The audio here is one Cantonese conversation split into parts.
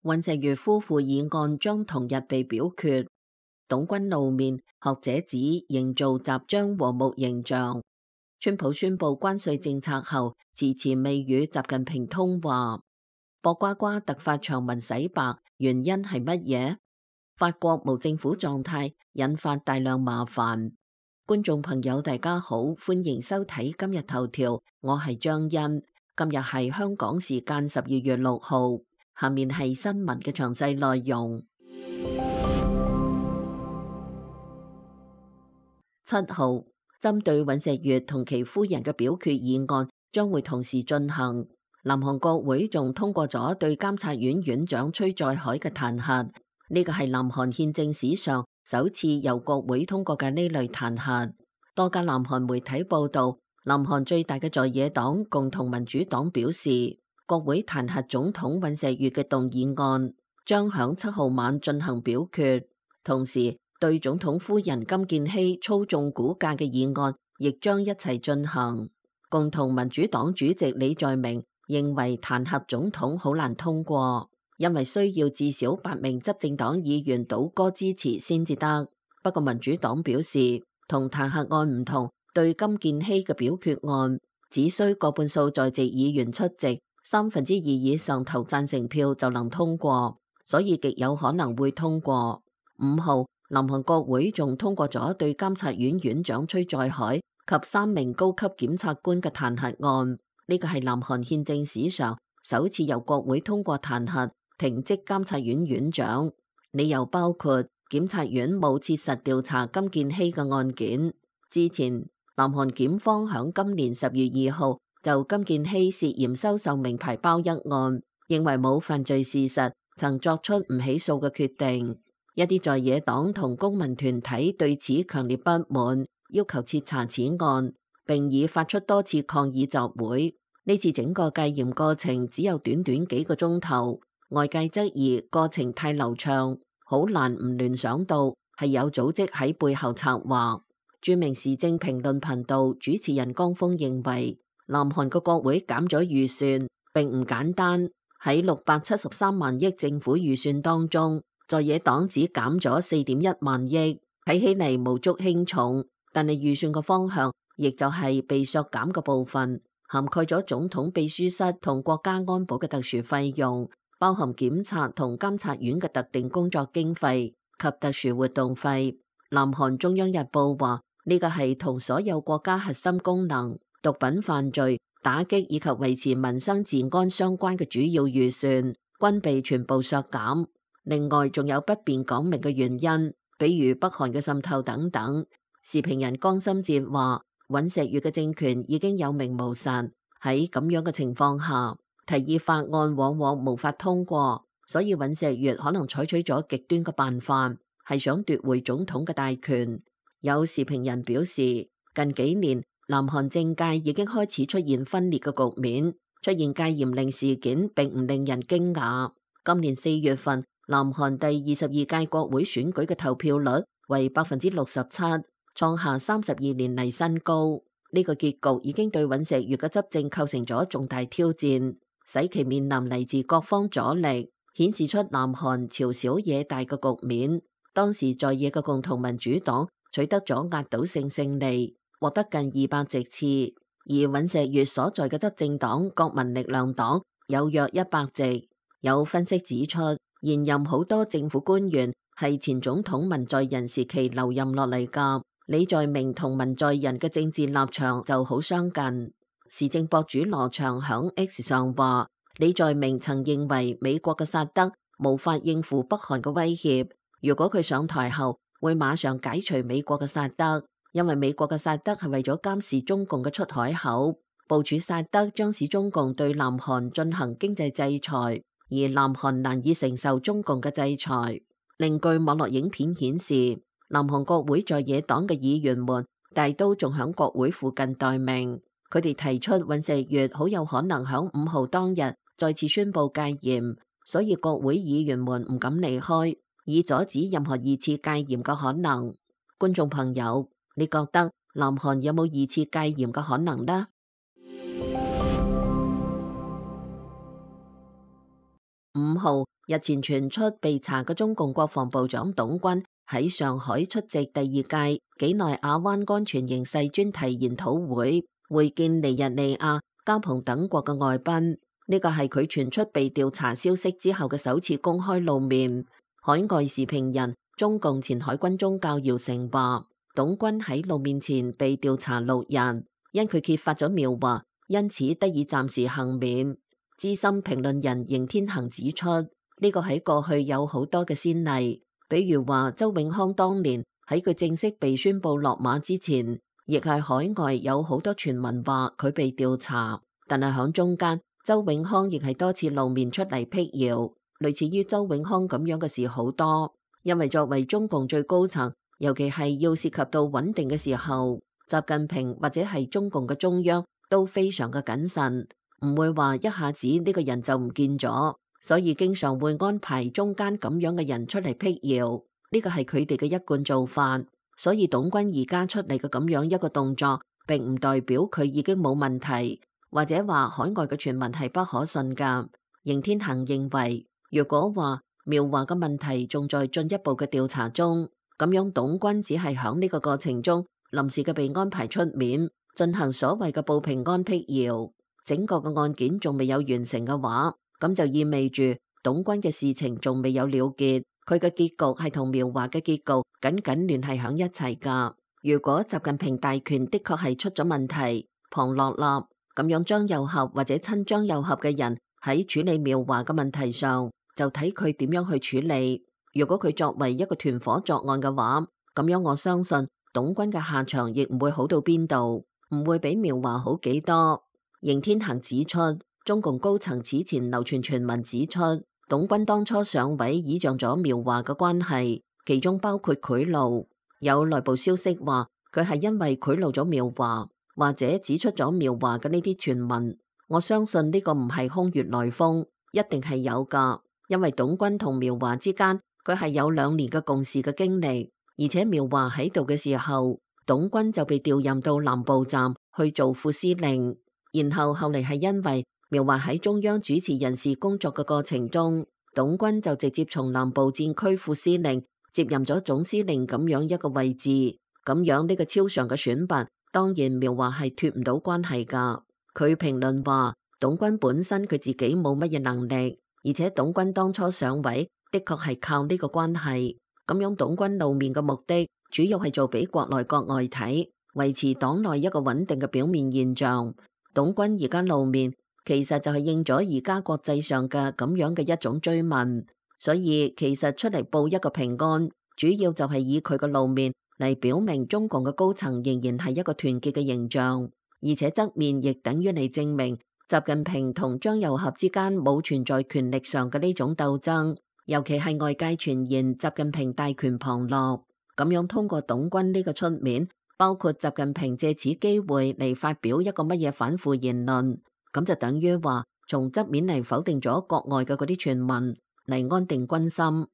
尹錫悅夫婦議案將同日被表決，董軍露面，學者指營造習將和睦形象。川普宣布關稅政策後，遲遲未與習近平通話。博瓜瓜突發長文洗白，原因係乜嘢？法國無政府狀態，引發大量麻煩。觀眾朋友大家好，歡迎收睇今日頭條，我係張欣。今日係香港時間12月6號，下面係新聞嘅詳細內容。7號，針對尹錫悅同其夫人嘅表決議案將會同時進行。南韓國會仲通過咗對監察院院長崔在海嘅彈劾，呢個係南韓憲政史上首次由國會通過嘅呢類彈劾。多家南韓媒體報道，南韓最大嘅在野黨共同民主黨表示，國會彈劾總統尹錫悅嘅動議案將響7號晚進行表決，同時對總統夫人金建希操縱股價嘅議案亦將一齊進行。共同民主黨主席李在明認為彈劾總統好難通過，因為需要至少8名執政黨議員倒戈支持先至得。不過民主黨表示，同彈劾案唔同，對金建希嘅表決案只需過半數在席議員出席，2/3以上投贊成票就能通過，所以極有可能會通過。5號，南韓國會仲通過咗對監察院院長崔在海及3名高級檢察官嘅彈劾案，呢個係南韓憲政史上首次由國會通過彈劾停職監察院院長，理由包括檢察院冇切實調查金建希嘅案件。之前南韓檢方響今年10月2號就金建希涉嫌收受名牌包一案，認為冇犯罪事實，曾作出唔起訴嘅決定。一啲在野黨同公民團體對此強烈不滿，要求徹查此案，並已發出多次抗議集會。呢次整個戒嚴過程只有短短幾個鐘頭，外界質疑過程太流暢，好難唔聯想到係有組織喺背後策劃。著名時政評論頻道主持人江峰認為，南韓嘅國會減咗預算並唔簡單，喺673萬億政府預算當中，在野黨只減咗4.1萬億，睇起嚟無足輕重，但係預算嘅方向亦就係被削減嘅部分，涵蓋咗總統秘書室同國家安保嘅特殊費用，包含檢察同監察院嘅特定工作經費及特殊活動費。南韓中央日報話，呢個係同所有國家核心功能、毒品犯罪打擊以及維持民生治安相關嘅主要預算均被全部削減。另外仲有不便講明嘅原因，比如北韓嘅滲透等等。時評人江心哲話，尹錫悅嘅政權已經有名無實，喺咁樣嘅情況下，提議法案往往無法通過，所以尹錫悅可能採取咗極端嘅辦法，係想奪回總統嘅大權。有時評人表示，近幾年南韓政界已經開始出現分裂嘅局面，出現戒嚴令事件並唔令人驚訝。今年4月份，南韓第22屆國會選舉嘅投票率為67%，創下32年嚟新高。呢個結局已經對尹錫悅嘅執政構成咗重大挑戰，使其面臨嚟自各方阻力，顯示出南韓朝小野大嘅局面。當時在野嘅共同民主黨取得咗壓倒性勝利，獲得近200席次，而尹錫悅所在嘅執政黨國民力量黨有約100席。有分析指出，現任好多政府官員係前總統文在寅時期留任落嚟㗎。李在明同文在寅嘅政治立場就好相近。時政博主羅翔響 X 上話，李在明曾認為美國嘅薩德無法應付北韓嘅威脅，如果佢上台後會馬上解除美國嘅薩德，因為美國嘅薩德係為咗監視中共嘅出海口，部署薩德將使中共對南韓進行經濟制裁，而南韓難以承受中共嘅制裁。另據網絡影片顯示，南韓國會在野黨嘅議員們大都仲響國會附近待命，佢哋提出尹錫悅好有可能響5號當日再次宣布戒嚴，所以國會議員們唔敢離開，以阻止任何2次戒嚴嘅可能。觀眾朋友，你覺得南韓有冇2次戒嚴嘅可能呢？ 5號日前傳出被查嘅中共國防部長董軍喺上海出席第2屆幾內亞灣安全形勢專題研討會，會見尼日利亞、加蓬等國嘅外賓。呢個係佢傳出被調查消息之後嘅首次公開露面。海外時評人、中共前海軍宗教姚成話，董軍喺露面前被調查6日，因佢揭發咗苗華，因此得以暫時幸免。資深評論人邢天行指出，呢個喺過去有好多嘅先例，比如話周永康當年喺佢正式被宣布落馬之前，亦係海外有好多傳聞話佢被調查，但係響中間，周永康亦係多次露面出嚟闢謠，類似於周永康咁樣嘅事好多。因為作為中共最高層，尤其係要涉及到穩定嘅時候，習近平或者係中共嘅中央都非常嘅謹慎。唔會話一下子呢個人就唔見咗，所以經常會安排中間咁樣嘅人出嚟闢謠，呢個係佢哋嘅一貫做法。所以董軍而家出嚟嘅咁樣一個動作，並唔代表佢已經冇問題，或者話海外嘅傳聞係不可信噶。邢天行認為，如果話苗華嘅問題仲在進一步嘅調查中，咁樣董軍只係響呢個過程中臨時嘅被安排出面進行所謂嘅報平安闢謠。整個嘅案件仲未有完成嘅話，咁就意味住董軍嘅事情仲未有了結，佢嘅結局係同苗華嘅結局緊緊聯繫響一齊噶。如果習近平大權的確係出咗問題，龐樂立咁樣張又俠或者親張又俠嘅人喺處理苗華嘅問題上，就睇佢點樣去處理。如果佢作為一個團伙作案嘅話，咁樣我相信董軍嘅下場亦唔會好到邊度，唔會比苗華好幾多。邢天行指出，中共高層此前流傳傳聞指出，董軍當初上位倚仗咗苗華嘅關係，其中包括賄賂。有內部消息話佢係因為賄賂咗苗華，或者指出咗苗華嘅呢啲傳聞。我相信呢個唔係空穴來風，一定係有噶。因為董軍同苗華之間，佢係有2年嘅共事嘅經歷，而且苗華喺度嘅時候，董軍就被調任到南部站去做副司令。然後嚟係因為苗華喺中央主持人事工作嘅過程中，董軍就直接從南部戰區副司令接任咗總司令咁樣一個位置。咁樣呢個超常嘅選拔，當然苗華係脫唔到關係噶。佢評論話，董軍本身佢自己冇乜嘢能力，而且董軍當初上位的確係靠呢個關係。咁樣董軍露面嘅目的，主要係做俾國內國外睇，維持黨內一個穩定嘅表面現象。董軍而家露面，其實就係應咗而家國際上嘅咁樣嘅一種追問，所以其實出嚟報一個平安，主要就係以佢嘅露面嚟表明中共嘅高層仍然係一個團結嘅形象，而且側面亦等於嚟證明習近平同張又俠之間冇存在權力上嘅呢種鬥爭，尤其係外界傳言習近平大權旁落，咁樣通過董軍呢個出面。包括習近平借此機會嚟發表一個乜嘢反腐言論，咁就等於話從側面嚟否定咗國外嘅嗰啲傳聞，嚟安定軍心。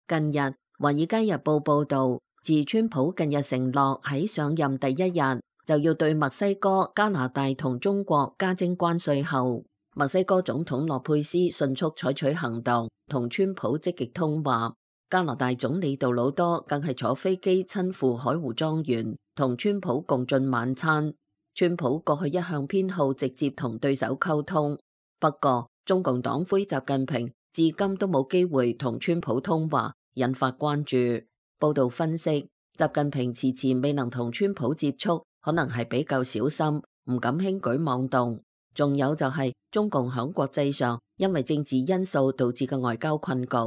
近日《華爾街日報》報道，自川普近日承諾喺上任第1日就要對墨西哥、加拿大同中國加徵關稅後，墨西哥總統洛佩斯迅速採取行動，同川普積極通話。加拿大總理杜魯多更係坐飛機親赴海湖莊園，同川普共進晚餐。川普過去一向偏好直接同對手溝通，不過中共黨魁習近平至今都冇機會同川普通話，引發關注。報道分析，習近平遲遲未能同川普接觸，可能係比較小心，唔敢輕舉妄動。仲有就係中共響國際上因為政治因素導致嘅外交困局。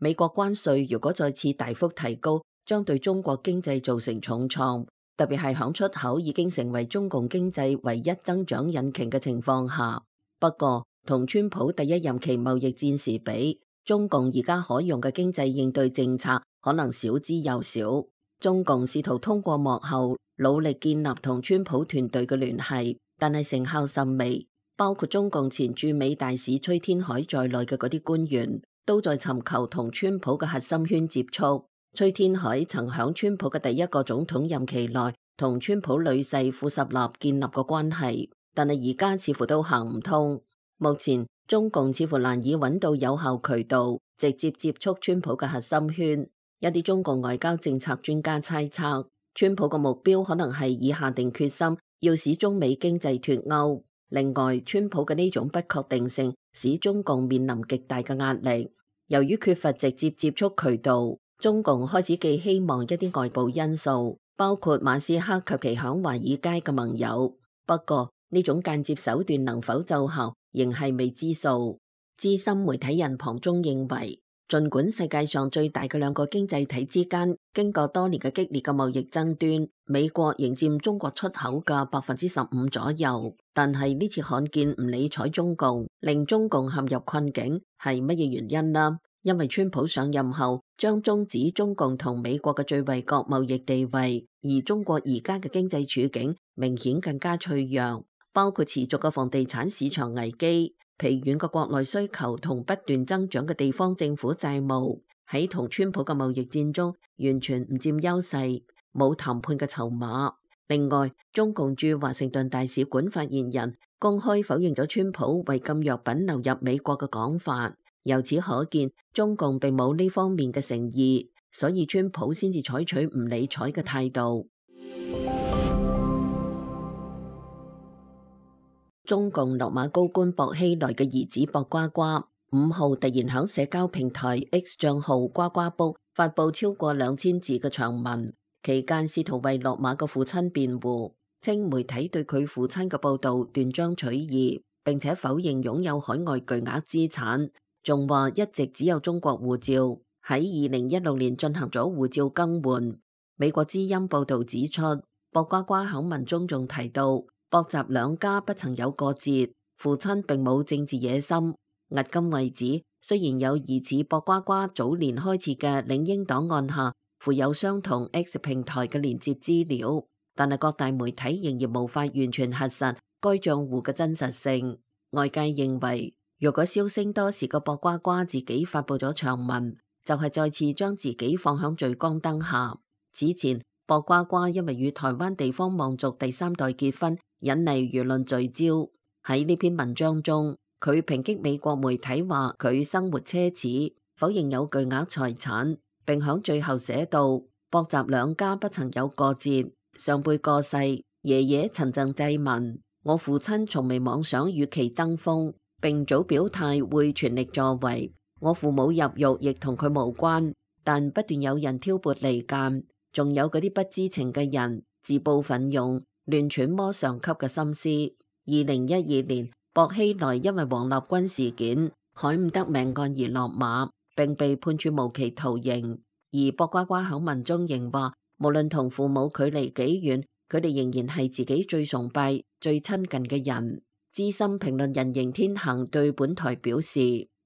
美國關稅如果再次大幅提高，將對中國經濟造成重創，特別係響出口已經成為中共經濟唯一增長引擎嘅情況下。不過，同川普第1任期貿易戰時比，中共而家可用嘅經濟應對政策可能少之又少。中共試圖通過幕後努力建立同川普團隊嘅聯繫，但係成效甚微。包括中共前駐美大使崔天凱在內嘅嗰啲官員，都在尋求同川普嘅核心圈接觸。崔天凱曾響川普嘅第1個總統任期內同川普女婿庫什納建立過關係，但係而家似乎都行唔通。目前中共似乎難以揾到有效渠道直接接觸川普嘅核心圈。一啲中共外交政策專家猜測，川普嘅目標可能係以下定決心要使中美經濟脫鈎。另外，川普嘅呢種不確定性使中共面臨極大嘅壓力。由於缺乏直接接觸渠道，中共開始寄希望一啲外部因素，包括馬斯克及其響華爾街嘅盟友。不過呢種間接手段能否奏效，仍係未知數。資深媒體人龐中認為，儘管世界上最大嘅兩個經濟體之間經過多年嘅激烈嘅貿易爭端，美國仍佔中國出口嘅15%左右，但係呢次罕見唔理睬中共，令中共陷入困境，係乜嘢原因呢？因為川普上任後將終止中共同美國嘅最惠國貿易地位，而中國而家嘅經濟處境明顯更加脆弱，包括持續嘅房地產市場危機、疲軟嘅國內需求同不斷增長嘅地方政府債務，喺同川普嘅貿易戰中完全唔佔優勢，冇談判嘅籌碼。另外，中共駐華盛頓大使館發言人公開否認咗川普為禁藥品流入美國嘅講法。由此可見，中共並冇呢方面嘅誠意，所以川普先至採取唔理睬嘅態度。中共落馬高官薄熙來嘅兒子薄瓜瓜5號突然響社交平台 X 賬號呱呱卜發佈超過2000字嘅長文，期間試圖為落馬嘅父親辯護，稱媒體對佢父親嘅報道斷章取義，並且否認擁有海外巨額資產。仲話一直只有中國護照，喺2016年進行咗護照更換。美國之音報道指出，薄瓜瓜喺文中仲提到，薄習兩家不曾有過節，父親並冇政治野心。迄今為止，雖然有疑似薄瓜瓜早年開設嘅領英檔案下附有相同 X 平台嘅連接資料，但係各大媒體仍然無法完全核實該賬戶嘅真實性。外界認為，若果銷聲多時嘅薄瓜瓜自己發佈咗長文，就係再次將自己放響聚光燈下。此前，薄瓜瓜因為與台灣地方望族第3代結婚，引嚟輿論聚焦。喺呢篇文章中，佢抨擊美國媒體話佢生活奢侈，否認有巨額財產，並響最後寫道：薄習兩家不曾有過節，上輩過世，爺爺曾贈祭文，我父親從未妄想與其爭鋒，並早表態會全力助圍。我父母入獄亦同佢無關，但不斷有人挑撥離間，仲有嗰啲不知情嘅人自報奮勇，亂揣摩上級嘅心思。2012年，薄熙來因為王立軍事件、海伍德命案而落馬，並被判處無期徒刑。而薄瓜瓜喺文中仍話，無論同父母距離幾遠，佢哋仍然係自己最崇拜、最親近嘅人。資深評論人邢天行對本台表示，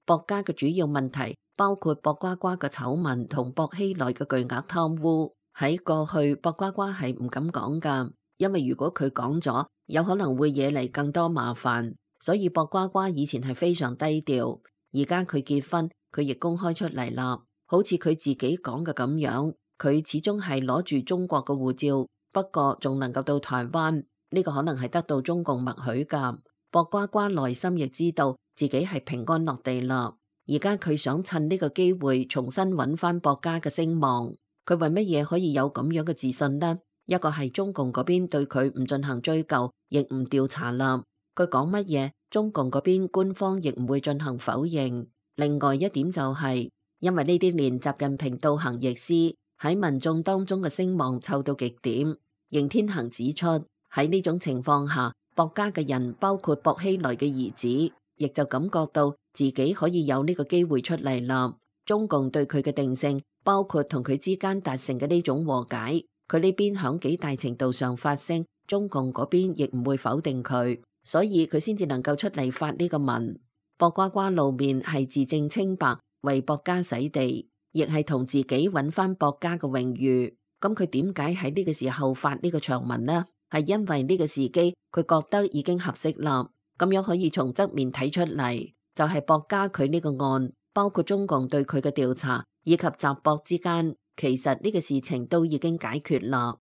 薄家嘅主要問題包括薄瓜瓜嘅醜聞同薄熙來嘅巨額貪污。喺過去，薄瓜瓜係唔敢講㗎，因為如果佢講咗，有可能會惹嚟更多麻煩。所以薄瓜瓜以前係非常低調，而家佢結婚，佢亦公開出嚟啦。好似佢自己講嘅咁樣，佢始終係攞住中國嘅護照，不過仲能夠到台灣，呢個可能係得到中共默許㗎。薄瓜瓜內心亦知道自己係平安落地啦，而家佢想趁呢個機會重新揾翻薄家嘅聲望。佢為乜嘢可以有咁樣嘅自信呢？一個係中共嗰邊對佢唔進行追究，亦唔調查啦。佢講乜嘢，中共嗰邊官方亦唔會進行否認。另外一點就係，因為呢啲年習近平倒行逆施，喺民眾當中嘅聲望臭到極點。邢天行指出，喺呢種情況下，薄家嘅人，包括薄熙來嘅兒子，亦就感覺到自己可以有呢個機會出嚟啦。中共對佢嘅定性，包括同佢之間達成嘅呢種和解，佢呢邊響幾大程度上發聲，中共嗰邊亦唔會否定佢，所以佢先至能夠出嚟發呢個文。薄瓜瓜露面係自證清白，為薄家洗地，亦係同自己揾翻薄家嘅榮譽。咁佢點解喺呢個時候發呢個長文呢？係因為呢個時機，佢覺得已經合適啦。咁樣可以從側面睇出嚟，就係薄家佢呢個案，包括中共對佢嘅調查，以及習薄之間，其實呢個事情都已經解決啦。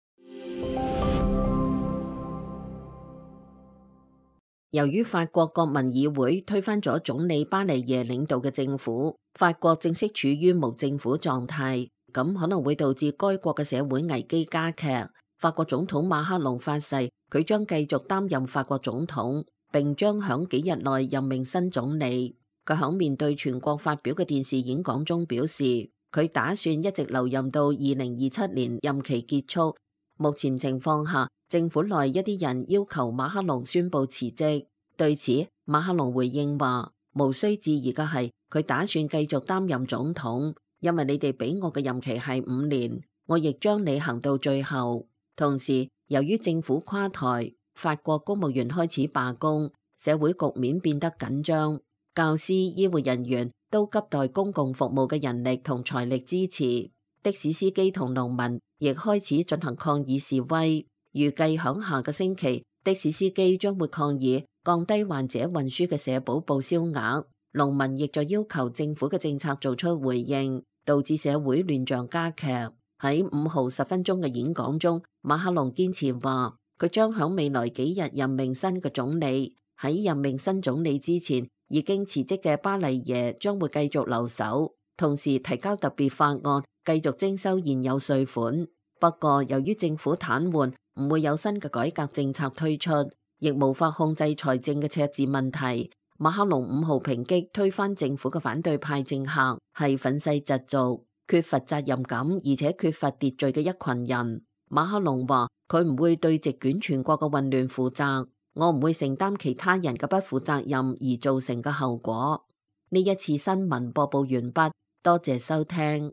由於法國國民議會推翻咗總理巴尼耶領導嘅政府，法國正式處於無政府狀態，咁可能會導致該國嘅社會危機加劇。法國總統馬克龍發誓，佢將繼續擔任法國總統，並將響幾日內任命新總理。佢響面對全國發表嘅電視演講中表示，佢打算一直留任到2027年任期結束。目前情況下，政府內一啲人要求馬克龍宣布辭職。對此，馬克龍回應話，無需置疑嘅係，佢打算繼續擔任總統，因為你哋俾我嘅任期係5年，我亦將履行到最後。同時，由於政府垮台，法國公務員開始罷工，社會局面變得緊張。教師、醫護人員都急待公共服務嘅人力同財力支持。的士司機同農民亦開始進行抗議示威。預計響下個星期，的士司機將會抗議降低患者運輸嘅社保報銷額。農民亦在要求政府嘅政策做出回應，導致社會亂象加劇。喺5號10分鐘嘅演講中，馬克龍堅持話，佢將響未來幾日任命新嘅總理。喺任命新總理之前，已經辭職嘅巴尼耶將會繼續留守，同時提交特別法案，繼續徵收現有稅款。不過，由於政府癱瘓，唔會有新嘅改革政策推出，亦無法控制財政嘅赤字問題。馬克龍5號抨擊推翻政府嘅反對派政客係憤世嫉俗、缺乏責任感而且缺乏秩序嘅一群人。馬克龍話，佢唔會對席捲全國嘅混亂負責，我唔會承擔其他人嘅不負責任而造成嘅後果。呢一次新聞播報完畢，多謝收聽。